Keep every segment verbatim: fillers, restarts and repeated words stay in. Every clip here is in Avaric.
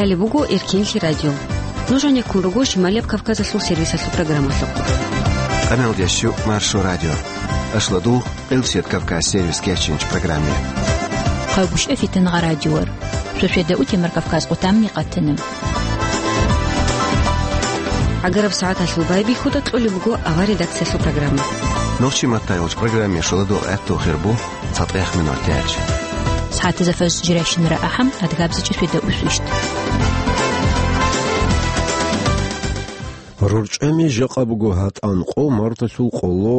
Гьале буго Эркенлъи радио. Нуж гьанеккун руго Шималияб Кавказалъул сервисалъул программалъухъ. Къамел дящу Маршо радио. Ашладул Къилсият Кавказ сервис кечинч программе. Хъагушев Фитангъа радиор. Шошеда утемар Кавказ къутамни къатана. Агараб сагӀаталъул байбихьуда кьолеб буго авар редакциялъул программа. Нохчи маттайолч программе шоладул гӀатту хирбу. ЦатӀех минут яч. СагӀатазда фаз жирайщинара ахӀам, адгабзичӀи феда усвищт. РорчӀами жакъа буго гьатӀан къо марталъул къоло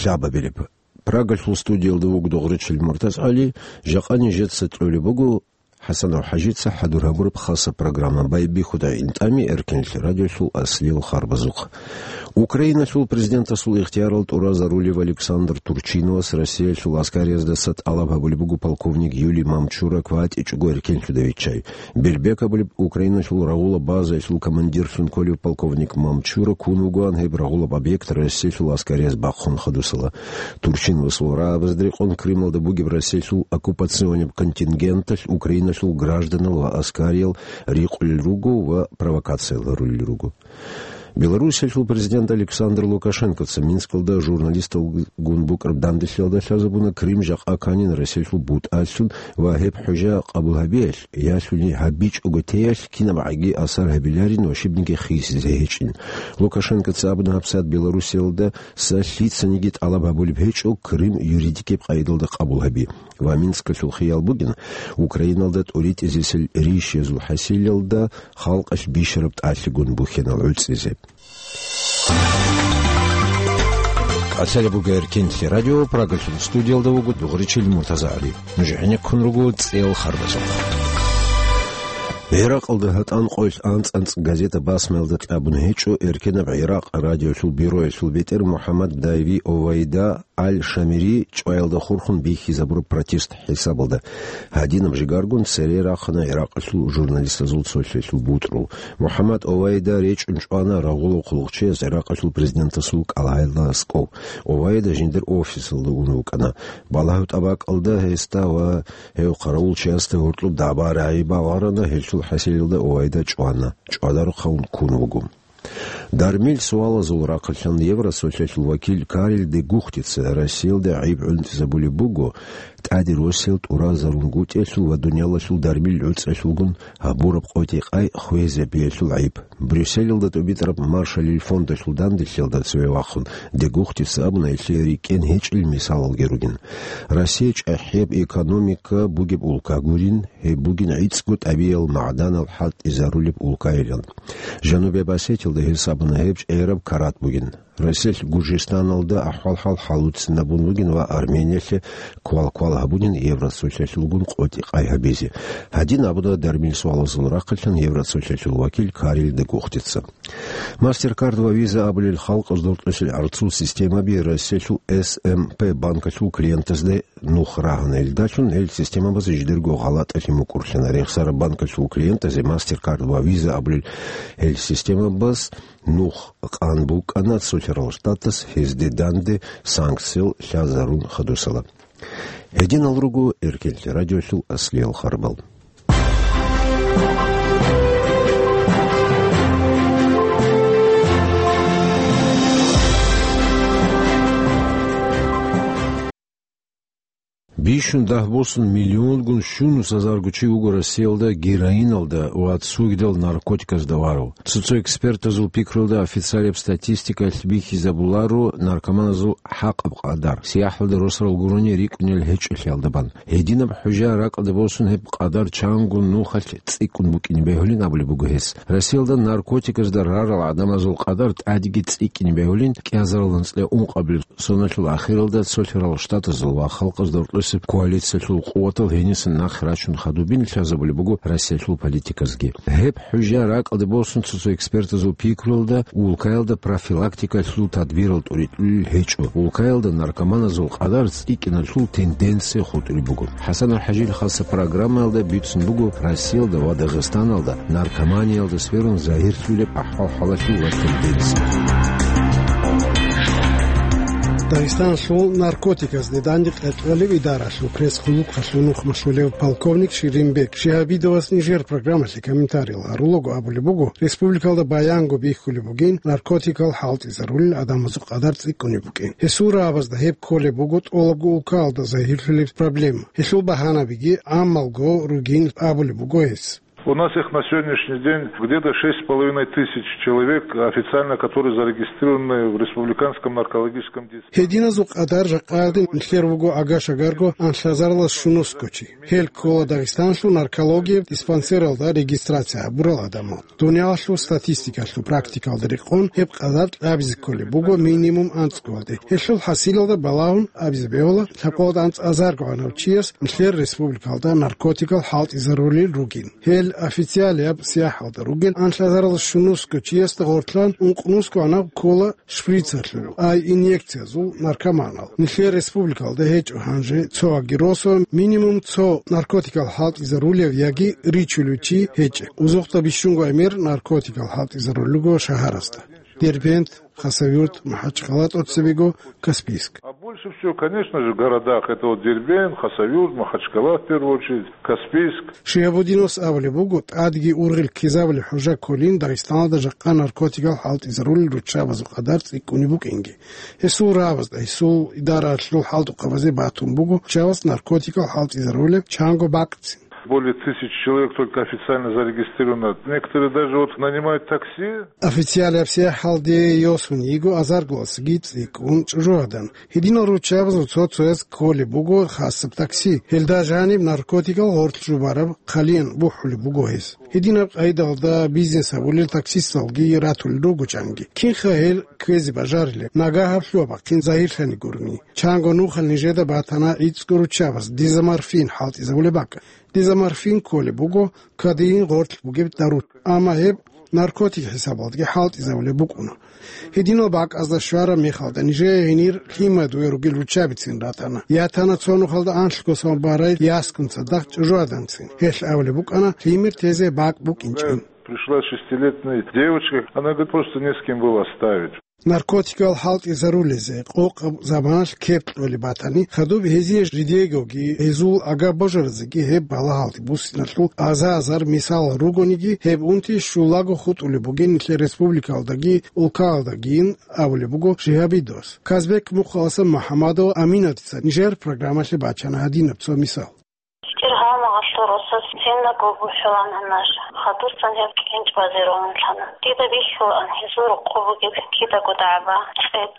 лъабабилеб. Прагалъул студиялда вуго Догъричил МуртазгӀали, жакъа нижеца кьолеб буго ХӀасанов ХӀажица хӀадур гьабураб хаса программа. Байбихьуда гӀинтӀами Эркенлъи радиолъул аслиял харбазухъ. Украиналъул президентасул ихтиярал тӀуразарулев Александр Турчиновас Россиялъул аскариязда тӀалаб гьабулеб буго полковник Юлий Мамчура кватӀичӀого эркенлъуда виччай. Бербек абулеб Украиналъул рагъула базаялъул командирлъун кколев полковник Мамчура ккун вугоан гьеб рагъулаб объект Россиялъул аскарияз бахъун хадусала. Турчиновасул рагӀабазда рекъон Крымалда бугеб Россиялъул оккупационеб контингенталъ Украиналъул гражданал ва аскариял рикъулел руго ва провокация гьарулел руго. Белоруссиялъул президент Александр Лукашенкоца Минскалда журналисталгун букӀараб данделъиялда лъазабуна Крым жакъа кканин Россиялъул бутӀалъун ва гьеб хӀужа къабул гьабиялъ, ялъуни гьабичӀого теялъ кинабгӀаги асар гьабиларин ва щибниги хисизе гьечӀин. Лукашенкоца абуна гьабсагӀат Белоруссиялда са лъицаниги тӀалаб гьабулеб гьечӀо Крым юридикеб къайдалда къабул гьаби. Ва Минскалъул хиял бугин, Украиналда тӀуритӀизесел ришиязул хӀасилалда халкъалъ бищараб тӀалъигун бухьинал гӀуцӀизе. КӀалъалеб буго Эркенлъи радио, Прагалъул студиялда вуго Дугъричил МуртазагӀали. Нуж гӀенеккун руго цӀел харбазухъ. ГӀиракъалда гьатӀан къоялъ анцӀ-анцӀ газета басмаялда кьабун гьечӀо Эркенаб ГӀиракъ радиолъул бюроялъул бетӀер МухӀаммад Дайви Овайда Аль-Шамири чӀваялда хурхун бихьизабураб протест хӀисабалда. Гьадинаб жигаргун цере рахъана ГӀиракъалъул журналистазул цолъиялъул бутӀрул. МухӀаммад Овайда речӀун чӀвана рагъулал хъулухъчияс ГӀиракъалъул президентасул кӀалгӀайда аскӀов. Овайда жиндир офисалда ун вукӀана. Балагьу тӀабакӀалда гьесда ва гьев хъаравулчиясда гьоркьоб дагӀба-рагӀи багъарана, гьелъул хӀасилалда Овайда чӀвана. ЧӀвадарухъ гьавун ккун вуго. Дармил суалазул рахъалъан Евросоциалъул вакил Карел де Гухтица Россиялда гӀайиб гӀунтӀизабулеб буго, тӀаде Россиял тӀуразарун гутӀиялъул ва дуниялалъул дармил гӀуцӀиялъулгун гьабураб къотӀи-къай хвезабиялъул гӀайиб. Брюсселалда тӀубитӀараб Маршалил фондалъул данделъиялда цеве вахъун, де Гухтица абуна, гьелъие рикӀкӀен гьечӀел мисалалги ругин. Россия чӀахӀияб экономика бугеб улка гурин, гьеб бугин гӀицӀго тӀабигӀиял магӀданал хӀалтӀизарулеб улкайилан. Жанубияб Осетиялда гьес абуна, гьеб чӀегӀераб карат бугин. Россиялъ Гуржистаналда ахӀвал-хӀал хӀалуцинабун бугин ва Армениялъе квал-квал гьабунин Евросоциалъулгун къотӀи-къай гьабизе. Гьадин абуна дармил суалазул рахъалъан Евросоциалъул вакил Карел де Гухтица. MasterCard ва Visa абулел халкъазда рокьулъел гӀарцул системаби Россиялъул С М П банкалъул клиентазда нух рагьана. Илдалъун гьел системабаз жидерго гъалатӀалъи мукӀурлъана. Рехсараб банкалъул клиентазе MasterCard ва Visa абулел гьел системабаз нух къан букӀана Цолъарал Штатас гьезде данде санкциял лъазарун хадусала. Гьединал руго Эркенлъи радиолъул аслиял харбал. Бищун дагь босун миллионгун щунус азарго чи вуго Россиялда героиналда ва цогидал наркотиказда варав. Цо-цо экспертазул пикруялда официалияб статистикалъ бихьизабуларо наркоманазул хӀакъаб къадар, сияхӀалда росарал гурони рикӀкӀунел гьечӀолъиялда бан. Гьединаб хӀужа ракӀалде босун гьеб къадар чанго нухалъ цӀикӀкӀун букӀине бегьулин абулеб буго гьес. Россиялда наркотиказда рарал гӀадамазул къадар тӀадеги цӀикӀкӀине бегьулин кӀиазарал анцӀила ункъабилеб соналъул ахиралда Цолъарал Штатазул ва Халкъазда рокьулесеб коалициялъул къуватал гьенисан нахъе рачун хадубин лъазабулеб буго Россиялъул политиказги. Гьеб хӀужа ракӀалде босун цо-цо экспертазул пикруялда улкаялда профилактикалъул тадбирал тӀуритӀулел гьечӀо. Улкаялда наркоманазул къадар цӀикӀкӀиналъул тенденция хутӀулеб буго. ХӀасан ХӀажил хаса программаялда бицун буго Россиялда ва Дагъистаналда наркоманиялда сверун загьирлъулеб ахӀвал-хӀалалъул ва тенденция. Дагъистаналъул наркотиказ данде къеркьалев идаралъул пресс-клубалъул нухмалъулев полковник Ширинбек Шигьабидовас нижер программалъе комментариял гьарулаго абулеб буго, республикалда баянго бихьулеб бугин наркотикал хӀалтӀизарулел адамазул къадар цӀикӀкӀунеб букӀин. Гьесул рагӀабазда гьеб кколеб буго тӀолабго улкаялда загьирлъулеб проблема. Гьелъул багьанабиги гӀаммалго ругин абулеб буго гьес. У нас их на сегодняшний день где-то шесть с половиной тысяч человек официально, которые зарегистрированы в республиканском наркологическом диспансере. Гьединазул къадар жакъаялде нилъер вуго агашагарго анлъазаралас щунусго чи. Гьел ккола Дагъистаналъул наркологияб диспансералда регистрация гьабурал адамал. Дуниялалъул статистикалъул практикалда рекъон гьеб къадар кьабизе кколеб буго минимум анцӀгоялде. Гьелъул хӀасилалда балагьун абизе бегьула, лъабкъоялда анцӀазарго гӀанав чияс нилъер республикалда наркотикал хӀалтӀизарулел ругин. Гьел официалияб сияхӀалда ругел анлъазаралас щунусго чиясда гъортлъан ункънусго гӀанав ккола шприцалъул, ай инъекциязул наркоманал. Нилъер республикалда гьечӀо гьанже цо ваги росо минимум цо наркотикал хӀалтӀизарулев яги ричулев чи гьечӀеб. Узухъда бищунго гӀемер наркотикал хӀалтӀизарулел руго шагьарасда: Дербент, Хасавюрт, МахӀачхъала, тӀоцебего Каспийск. А больше всего, конечно же, в городах это вот Дербент, Хасавюрт, Махачкала в первую очередь, Каспийск. Шигьабудиновас абулеб буго, тӀадги ургъел ккезабулеб хӀужа кколин Дагъистаналда жакъа наркотикал хӀалтӀизарулел руччабазул къадар цӀикӀкӀунеб букӀинги. Гьесул рагӀабазда, гьесул идаралъул хӀалтӀухъабазе батун буго руччабаз наркотикал хӀалтӀизарулеб чанго бакӀцин. Более тысячи человек только официально зарегистрировано. Некоторые даже вот нанимают такси. Официалияб сияхӀалде йосун йиго азарголасаги цӀикӀкӀун чӀужугьадан. Гьединал руччабазул цо-цояз кколеб буго хасаб такси. Гьелда жаниб наркотикал гъоркь жубараб хъалиян бухӀулеб буго гьез. Гьединаб къайдалда бизнес гьабулел таксисталги ратулел руго чанги. Кинха гьел ккезе бажарилеб? Нагагь гьаб лъугьа-бахъин загьирлъани гурони. Чанго нухал нижеда батана гӀицӀго руччабаз дезоморфин хӀалтӀизабулеб бакӀ. Дезоморфин кколеб буго кодеин гъоркь бугеб дару. Амма гьеб наркотик хӀисабалдаги хӀалтӀизабулеб букӀуна. Гьединал бакӀазда щвараб мехалда нижее гьенир лъимадуе ругел руччабицин ратана. Ятана цо нухалда анлъго самобарай яскун цадахъ чӀужугьаданцин. Гьелъ абулеб букӀана лъимер тезе бакӀ букӀинчӀин. Пришла шестилетняя девочка, она говорит, просто не с кем было оставить. Наркотикал хӀалтӀизарулезе къокъаб заманалъ кеп кьолеб батани, хадуб гьезие жидеегоги гьезул агаб божаразеги гьеб балагьалде буссиналъул аза-азар мисалал ругониги, гьеб унти щулаго хутӀулеб бугин нилъер республикалдаги улкаялдагийин абулеб буго Шигьабидовас. Казбек мухъаласан МухӀамадова Аминатица нижер программалъе бачана гьадинаб цо мисал. ЧӀир гьалмагъалъул росас циндаго бухӀулан гьанаш, хадусан гьеб кӀенчӀ базе рогьунлъана. Дида бихьулаан гьезул рокъоб бугеб кидаго дагӀба, цӀец,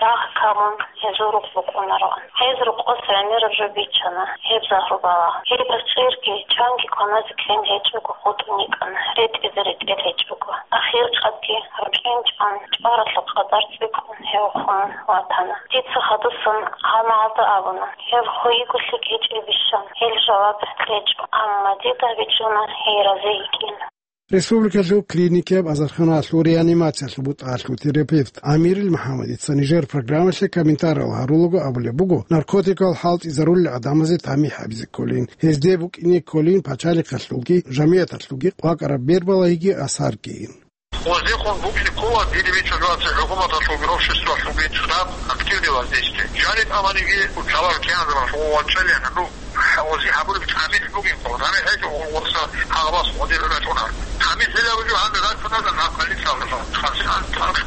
рагъ камун гьезул рукъ букӀунароан. Гьез рокъос гӀемераб жо биччана, гьеб загьру балагь. Гьеб чӀирги чанги кваназе ккен гьечӀого хутӀун йикӀана, ретӀизе ретӀел гьечӀого. Ахиркъадги, рукӀин чӀван, чӀваралъул къадар цӀикӀкӀун гьев хун ватана. Дица хадусан гьалмагъалда абуна, гьел хвейиго лъикӀ гьечӀебищан, гьел жаваб кьечӀо, амма дида бичӀчӀуна гьей разе йикӀин. Республикалъул клиникияб азарханалъул реанимациялъул бутӀалъул терапевт Амирил МухӀамадица нижер программалъе комментариял гьарулаго абулеб буго, наркотикал хӀалтӀизарулел гӀадамазе тамихӀ гьабизе кколин, гьезде букӀине кколин пачалихъалъулги жамигӀаталъулги къвакӀараб бербалагьиги асаргийин. Гъозехун букӀине ккола диниве чӀужуаца хӀукуматалъулги обществалъулги цӀакъ активный воздействие. Жаниб аманиги учалар кӀианзабалъ гъов вачӀалихӀа, ну, гъози гьабулеб тамихӀ бугин, гъоз гьаниб гьечӀо гъорса гьагъабас гъодир рачӀунар. ТамихӀ гьелаб жо гьаниб рачӀунарда нахъали цалдала. Хассан танкъ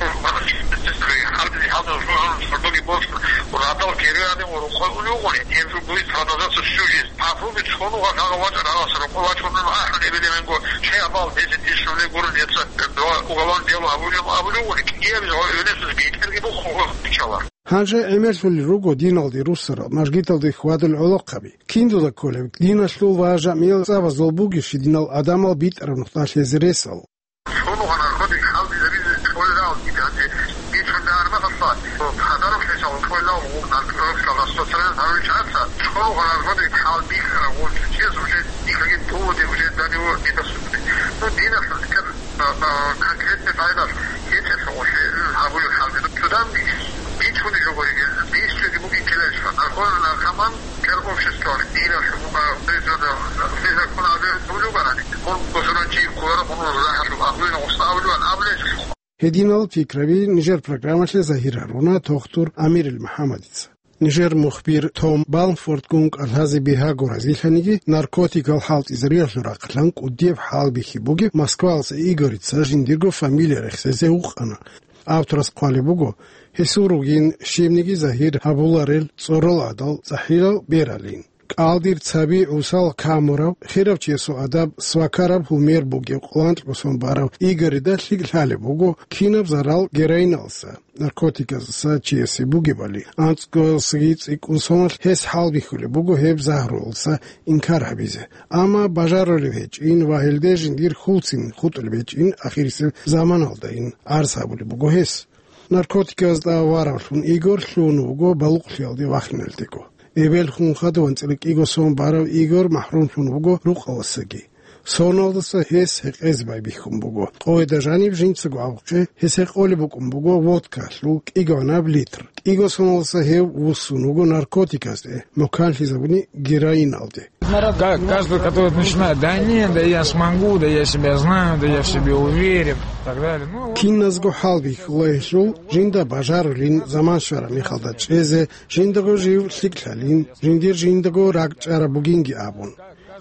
гьардини гьалда жугьун сордоги босун, радал кериадин ва рухъал улугъуни, гьеб жо будет продолжаться всю жизнь. Попробуй цо нугъа гьагъа вачӀа рагъас рукъо вачӀунан ахӀун эбелевенго, чей абал десять тысяч рублей гурун, яца два уголовное дело абулев, абулев, кӀиябиз гьав эвлесус бетӀерги бухъун гъо бичала. Гьанже гӀемерлъулел руго диналде руссарал, мажгиталде хьвадул гӀолохъаби. Киндуда кколеб диналъул ва жамиял цӀабазул бугищ динал адамал битӀараб нухда лъезе ресал? Цо нугъа наркотик хӀалтӀизабизе кьолел рагӀул дида гьанже бицунда армагьалъа, подарок лъечал кьолел рагӀул наркотикал распространение гьарулел чагӀаца, цо нугъа наркотик хӀалтӀизарав гъов чияс уже никаких доводов уже до него не доступны. Ну, диналъул декӀар, а, а, конкретный пайдалъ гьечӀеб гъолъе гьабулеб хӀалтӀи. Цодан бицунеб жо гуриги, бицунеб бугин челечӀо. Наркоман, наркоман, Кер общество, динал, а, призывно, призывно ккун абулеб бугеб барани, ккун бусурбанчи кколаро, ккун рахӀалъуб, агьлуйин гъуса абулеб, абулеб. Гьединал пикраби нижер программалъе загьир гьаруна тохтур Амирил МухӀаммадица. Нижер мухбир Том Балмфордгун кӀалъазе бигьаго разилъаниги, наркотикал хӀалтӀизариялъул рахъалъан кӀудияб хӀалбихьи бугеб москвалица Игорица жиндирго фамилия рехсезе вукъана. Авторас хъвалеб буго, гьесул ругин щибниги загьир гьабуларел цӀорал гӀадал цӀахӀиял бералин. КӀалдир цаби гӀусал камурав, хирав чиясул адаб свакараб гьумер бугев къоланкьго сон барав Игорида лъикӀ лъалеб буго кинаб зарал героиналса, наркотиказаса чиясе бугебали. АнцӀгоялсаги цӀикӀкӀун соналъ гьес хӀалбихьулеб буго гьеб загьруялса инкар гьабизе. Амма бажарулеб гьечӀин ва гьелде жиндир хьулцин хутӀулеб гьечӀин ахирисеб заманалдайин гӀарз гьабулеб буго гьес. Наркотиказда варавлъун Игор лъун вуго балугълъиялде вахиналдего. Эбел хун хадув анцӀила кӀиго сон барав Игор махӀрумлъун вуго рукъалдасаги. Соналдаса гьес гьекъезе байбихьун буго. Къойда жаниб жинцаго абухъе гьес гьекъолеб букӀун буго водкалъул кӀигӀанаб литр. КӀиго соналдаса гьев вуссун вуго наркотиказде, муканлъизабуни героиналде. Ка-, каждый, который начинает: «Да нет, да я смогу, да я себя знаю, да я в себе уверен», и так далее. Ну, вот. Киназго хӀалбихьула гьелъул, жинда бажарулин заман щвараб мехалда чӀезе, жиндаго жив лъикӀлъалин, жиндир жиндаго ракӀчӀараб бугинги абун.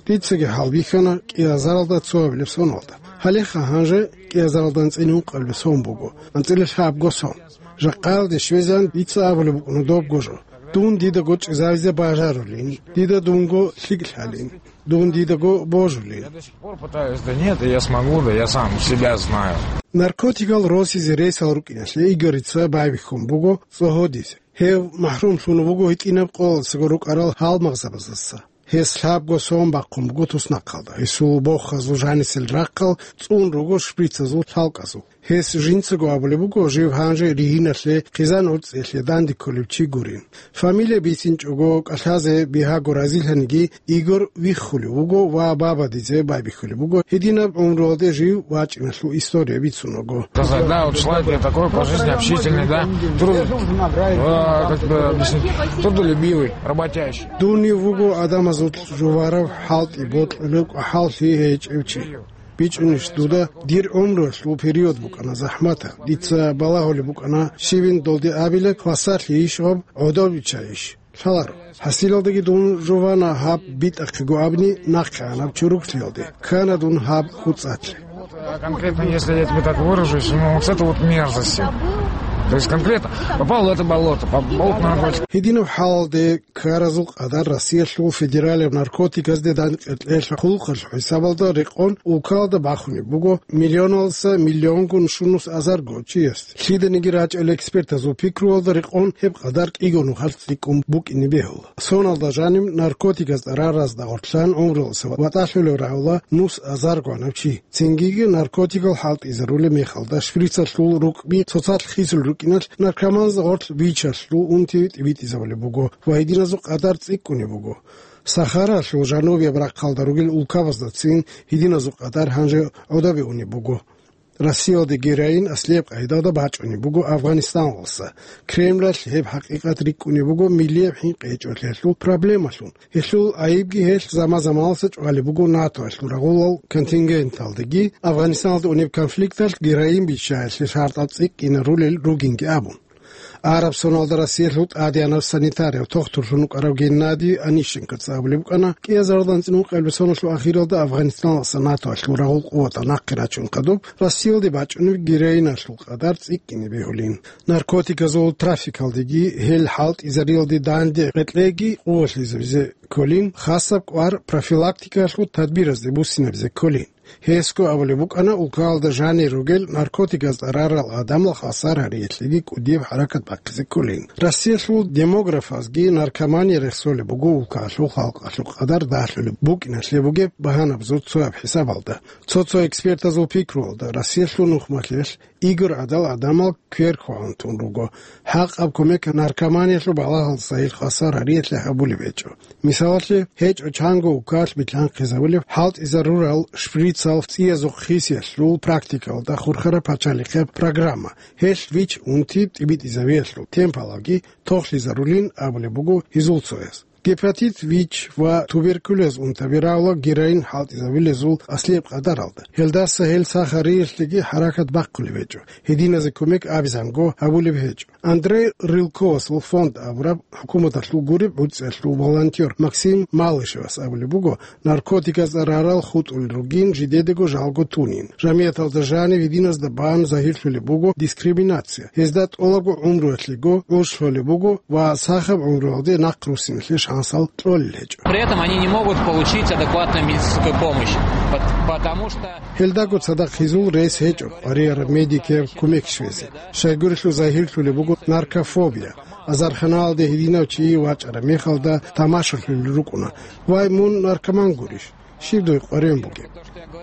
Дицаги хӀалбихьана кӀиазаралда цоабилеб соналда. Гьалеха гьанже кӀиазаралда анцӀила ункъабилеб сон буго, анцӀила лъабго сон. Жакъаялде щвезегӀан дица абулеб букӀуна добго жо: «Дун дидаго чӀезавизе бажарулин, дида дунго лъикӀлъалин, дун дидаго божулин». Я до сих пор пытаюсь: «Да нет, да я смогу, да я сам себя знаю». Наркотикал росизе ресал рукӀиналъе Игорица байбихьун буго цӀогьодизе. Гьев махӀрумлъун вуго гьитӀинаб къоялдасаго рукӀарал гьалмагъзабаздаса. Гьес лъабго сон бахъун буго туснахъалда. Гьесул бохазул жанисел рахъал цӀун руго шприцазул лъалкӀазул. Гьес жинцаго абулеб буго жив гьанже ригьиналъе хъизан гӀурцӀиялъе данде кколев чи гурин. Фамилия бицинчӀого кӀалъазе бигьаго разилъаниги, Игор виххулев вуго ва бабадизе байбихьулеб буго гьединаб гӀумруялде жив вачӀиналъул история бицун вуго. Сказать, да, вот человек я такой по жизни общительный, да, труд-, а, как бы объяснить, трудолюбивый, работящий. Дунив вуго адамазул жуварав, хӀалтӀи бокьулев, кӀвахӀаллъи гьечӀев чи. БичӀунищ дуда, дир гӀумруялъул период букӀана захӀматаб. Дица балагьулеб букӀана, щивин долде абила, хвасарлъийищ гьаб, гӀодов биччайищ? Лъаларо. ХӀасилалдаги дун жувана гьаб битӀахъего абни нахъегӀанаб чуруклъиялде. Ккана дун гьаб хутӀзатлъи. А конкретно, если я тебе так выражусь, ну, вот с этой вот мерзости. То есть конкретно попал в это болото, попал в наркотики. Гьединаб хӀалалде ккаразул къадар Россиялъул федералияб наркотиказде дандекъеялъул хъулухъалъул хӀисабалда рекъон улкалда бахунеб буго миллионалдаса миллионгун щунус азарго чияс. Лъиданиги рачӀел экспертазул пикруялда рекъон гьеб къадар кӀиго нухалъ цӀикӀкӀун букӀине бегьула. Соналда жаниб наркотиказ тӀараразда гъорлъан гӀумруялдаса ватӀалъулев рагӀула нус азарго гьанав чи. Цингиги наркотикал хӀалтӀизарулеб мехалда шприцалъул рукъби цоцалъ хисул рукӀиналъ наркоманзда гъорлъ бичалъул унти тӀибитӀизабулеб буго ва гьединазул къадар цӀикӀкӀунеб буго. Сахаралъул жанубияб рахъалда ругел улкабаздацин гьединазул къадар гьанже гӀодобе унеб буго. Россиялде героин аслияб къайдалда бачӀунеб буго Афганистаналдаса. Кремлалъ гьеб хӀакъикъат рикӀкӀунеб буго миллияб хӀинкъи гьечӀолъиялъул проблемалъун. Гьелъул гӀайибги гьелъ заман-заманалдаса чӀвалеб буго НАТОялъул рагъулал контингенталдаги, Афганистаналда унеб конфликталъ героин биччаялъе шартӀал цӀикӀкӀинарулел ругинги абун. Араб соналда Россиялъул тӀадегӀанав санитарияв тохтурлъун вукӀарав Геннадий Онищенкоца абулеб букӀана, кӀиазаралда анцӀила ункъабилеб соналъул ахиралда Афганистаналдаса НАТОялъул рагъул къуватал нахъе рачун хадуб, Россиялде бачӀунеб героиналъул къадар цӀикӀкӀине бегьулин. Наркотиказул трафикалдеги, гьел хӀалтӀизариялде данде къекълъеги къувалъизабизе кколин, хасаб кӀвар профилактикаялъул тадбиразде буссинабизе кколин. Гьесго абулеб букӀана, улкалда жанир ругел наркотиказ тӀарарал гӀадамал хвасар гьариялъеги кӀудияб хӀаракат бахъизе кколин. Россиялъул демографазги наркомания рехсолеб буго улкалъул халкъалъул къадар дагьлъулеб букӀиналъе бугеб багьанабазул цояб хӀисабалда. Цо-цо экспертазул пикруялда, Россиялъул нухмалъиялъ Игор гӀадал гӀадамал квер хвагьун тун руго. ХӀакъаб кумек наркоманиялъул балагьалдаса гьел хвасар гьариялъе гьабулеб гьечӀо. Мисалалъе, гьечӀо чанго улкалъ билълъанхъизабулеб хӀалтӀизарурал шприцал цӀиязухъ хисиялъул практикалда хурхараб пачалихъеб программа. Гьелъ вич унти тӀибитӀизабиялъул темпалги тохлъизарулин абулеб буго гьезул цояс. Гепатит ВИЧ ва туберкулез унтаби равла героин хӀалтӀизабулезул аслияб къадаралда. Гьелдаса гьел сахариялъеги хӀаракат бахъулеб гьечӀо, гьединазе кумек абизанго гьабулеб гьечӀо. Андрей Рылковасул фонд абураб хӀукуматалъул гуреб гӀуцӀиялъул волонтер Максим Малышевас абулеб буго, наркотиказ рарал хутӀулел ругин жидедаго жалго тунин. Жамияталда жанив гьединазда бан загьирлъулеб буго дискриминация. Гьезда тӀолабго гӀумруялъего гӀуж лъолеб буго ва сахаб гӀумруялде нахъ руссиналъе шансал кьолел гьечӀо. При этом они не могут получить адекватную медицинскую помощь, пот-, потому что Гьелдаго цадахъ гьезул рес гьечӀо къварияраб медикияб кумек щвезе. Щайгурелъул загьирлъулеб буго наркофобия. Азарханалде гьединав чи вачӀараб мехалда тамашалъулел рукӀуна: «Вай, мун наркоман гурищ? Щиб дуе къваригӀун бугеб?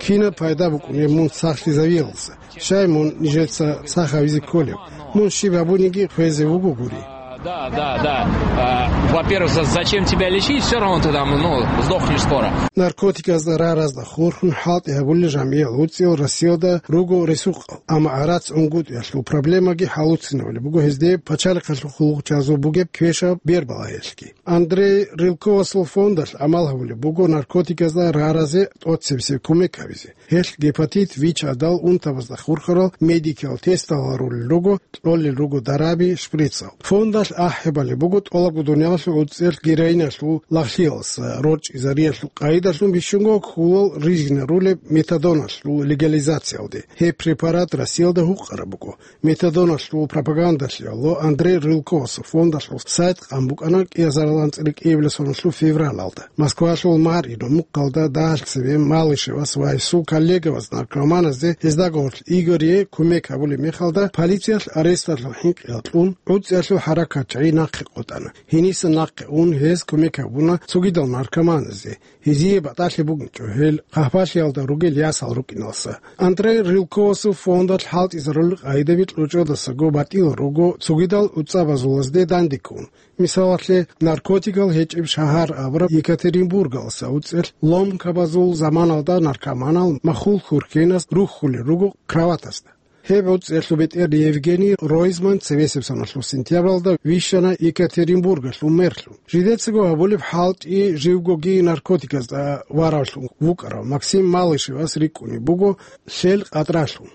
Кинаб пайда букӀунеб мун сахлъизавиялдаса? Щай мун нижеца сах гьавизе кколеб? Мун щиб гьабуниги хвезе вуго гури». Да, да, да. А, во-первых, за-, зачем тебя лечить? Всё равно ты там, ну, сдохнешь скоро. Наркотиказда раразда хурхун хӀалтӀи гьабулел жамгӀиял гӀуцӀиял Россиялда руго ресукъал, амма гӀарац унгутӀиялъул проблемаги хӀалуцинабулеб буго гьезде пачалихъалъул хъулухъчазул бугеб квешаб бербалагьиялъги. Андрей Рылковасул фондалъ гӀамал гьабулеб буго наркотиказда раразе тӀоцебесеб кумек гьабизе. Гьелъ гепатит ВИЧ гӀадал унтабазда хурхарал медикиял тестал гьарулел руго, кьолел руго дараби, шприцал. Фондалъ ахӀи балеб буго тӀолабго дуниялалъул гӀуцӀиялъ героиналъул лагълъиялдаса рорчӀизариялъул къайдалъун бищунго кколал рижинарулеб метадоналъул легализациялде. Гьеб препарат Россиялда гьукъараб буго. Метадоналъул пропагандалъе Андрей Рылковасул фондалъул сайт къан букӀана кӀиазарилан цӀикӀкӀибласоналъул февралалда. Москвалъул мэр Ирумукъалда дагьалъ цебе Малышевас ва гьесул коллегаваз наркоманазде, гьезда гьоркьоб Игорие кумек гьабулеб мехалда, полициялъ аресталъул хӀинкъиялъ кьун, гӀуцӀиялъул хӀаракатчагӀи нахъе къотӀана. Гьениса нахъе ун гьез кумек гьабуна цогидал наркоманазде. Гьезие батӀалъи бугинчӀо гьел хъахӀбалъиялда ругел ясал рукӀиналдаса. Андрей Рылковасул фондалъ хӀалтӀизарулел къайдаби кьучӀдасаго батӀиял руго цогидал гӀуцӀабазулазде дандеккун. Мисалалъе, наркотикал гьечӀеб шагьар абураб Екатеринбургалдаса гӀуцӀиялъ ломкабазул заманалда наркоманал махул хурхенас рухьулел руго кроватасда. Гьеб гӀуцӀиялъул бетӀер Евгений Ройзман цебесеб соналъул сентябралда вищана Екатеринбургалъул мэрлъун. Жидецаго гьабулеб хӀалтӀи живгоги наркотиказда варавлъун вукӀарав Максим Малышевас рикӀкӀунеб буго лъел къадралъун.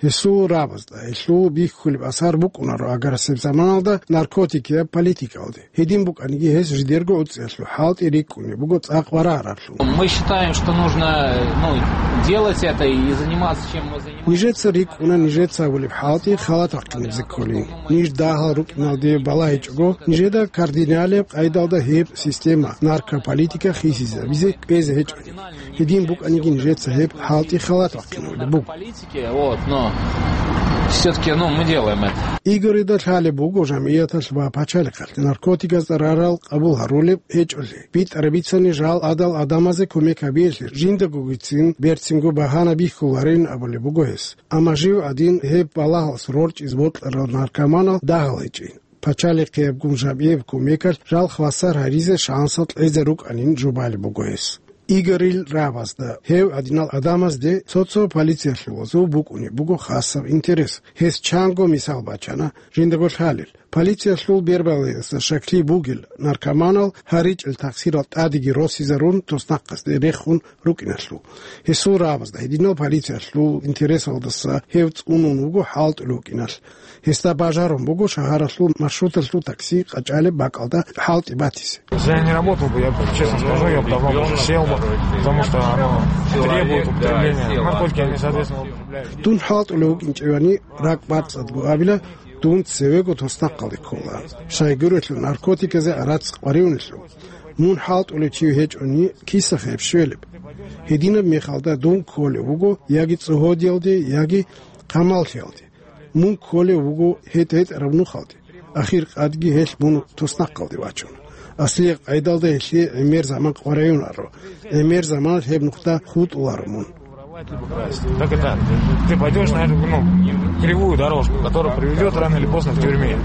Гьесул рабазда гьелъул бихьулеб асар букӀунаро аграрасеб заманалда наркотикияб политикалде. Гьедин букӀаниги, гьес жидерго гӀуцӀиялъул хӀалтӀи рикӀкӀунеб буго цӀакъ варараблъун. Мы считаем, что нужно, ну, делать это и заниматься, чем мы занимаемся. Нижеца рикӀкӀуна нижеца гьабулеб хӀалтӀи халаталъ бахъинабизе кколин. Ниж дагьал рукӀиналде балагьичӀого, нижеда кардиналияб къайдалда гьеб система, наркополитика хисизабизе кӀвезе гьечӀони. Гьедин букӀаниги, нижеца гьеб хӀалтӀи халаталъ бахъинабулеб буго. Политики, вот, но всё-таки, ну, мы делаем это. Игорида лъалеб буго жамгӀияталъ ва пачалихъалъ наркотиказда рарал къабул гьарулеб гьечӀолъи. БитӀараб бицани жал гӀадал гӀадамазе кумек гьабиялъе жиндагогицин берцинго багьана бихьуларин абулеб буго гьес. Амма жив гӀадин гьеб балагьалъ рорчӀизе бокьарал наркоманал дагьал гьечӀин. Пачалихъиябгун жамгӀияб кумекалъ жал хвасар гьаризе шансал кьезе рукӀанин жубалеб буго гьес. Игорил рабазда, гьев гӀадинал гӀадамазде цо-цо полициялъулазул букӀунеб буго хасаб интерес. Гьес чанго мисал бачана, жиндаго лъалел. Полициялъул бербалаялдаса щаклъи бугел наркоманал гьаричӀел такъсирал тӀадеги росизарун, туснахъасде рехун рукӀиналъул. Гьесул рабазда гьединал полициялъул интересалдаса гьев цӀунун вуго хӀалтӀулев вукӀиналъ. Гьесда бажарун буго шагьаралъул маршруталъул такси къачӀалеб бакӀалда хӀалтӀи батизе. Если я не работал бы, я бы, честно скажу, я бы давно уже сел бы, потому что оно требует употребления. Наркотики, они, соответственно, употребляют. Дун хӀалтӀулев вукӀинчӀевани, ракӀ бацӀцӀадго абила, дун цевего туснахъалде ккола. Щайгурелъул наркотиказе гӀарац къваригӀунелъул. Мун хӀалтӀулев чи гьечӀони, киса гьеб щвелеб? Гьединаб мехалда дун кколев вуго яги цӀогьодиялде, яги хъамалъиялде. Мун кколев вуго гьетӀ-гьетӀараб нухалде. Ахир къадги гьелъ мун туснахъалде вачун. Аслияб къайдалда гьелъие гӀемер заман къваригӀунаро. ГӀемер заманалъ гьеб нухда хутӀуларо мун. Так это, ты пойдёшь на эту, ну, кривую дорожку, которая приведёт рано или поздно к тюрьме.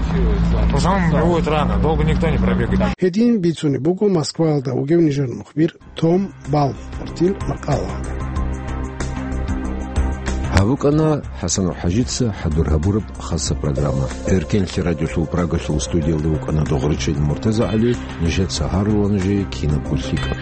В основном приводит рано, долго никто не пробегает. Гьедин бицунеб буго Москваялда вугев нижер мухбир Том Балмгартил макъала. Гьаб букӀана ХӀасанов ХӀажица хӀадур гьабураб хасса программа. Эркенлъи радиолъул Прагалъул студиялда вукӀана Догърачил МуртазагӀали, нижеца гьарула нужее кинабго лъикӀаб.